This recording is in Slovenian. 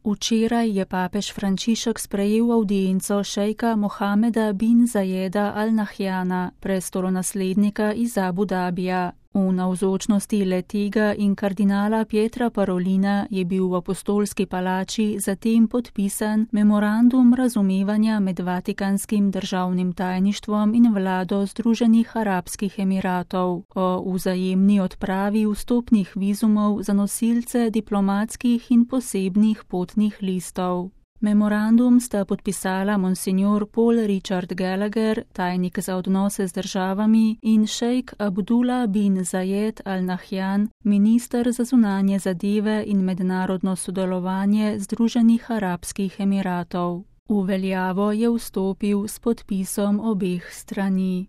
Včeraj je papež Frančišek sprejel avdienco šejka Mohameda bin Zajeda Al Nahyana, prestolonaslednika iz Abu Dabija. V navzočnosti le-tega in kardinala Pietra Parolina je bil v apostolski palači zatem podpisan memorandum razumevanja med Vatikanskim državnim tajništvom in vlado Združenih arabskih emiratov o vzajemni odpravi vstopnih vizumov za nosilce diplomatskih in posebnih potnih listov. Memorandum sta podpisala monsignor Paul Richard Gallagher, tajnik za odnose z državami, in šejk Abdullah bin Zajed Al Nahyan, minister za zunanje zadeve in mednarodno sodelovanje Združenih arabskih emiratov. V veljavo je vstopil s podpisom obeh strani.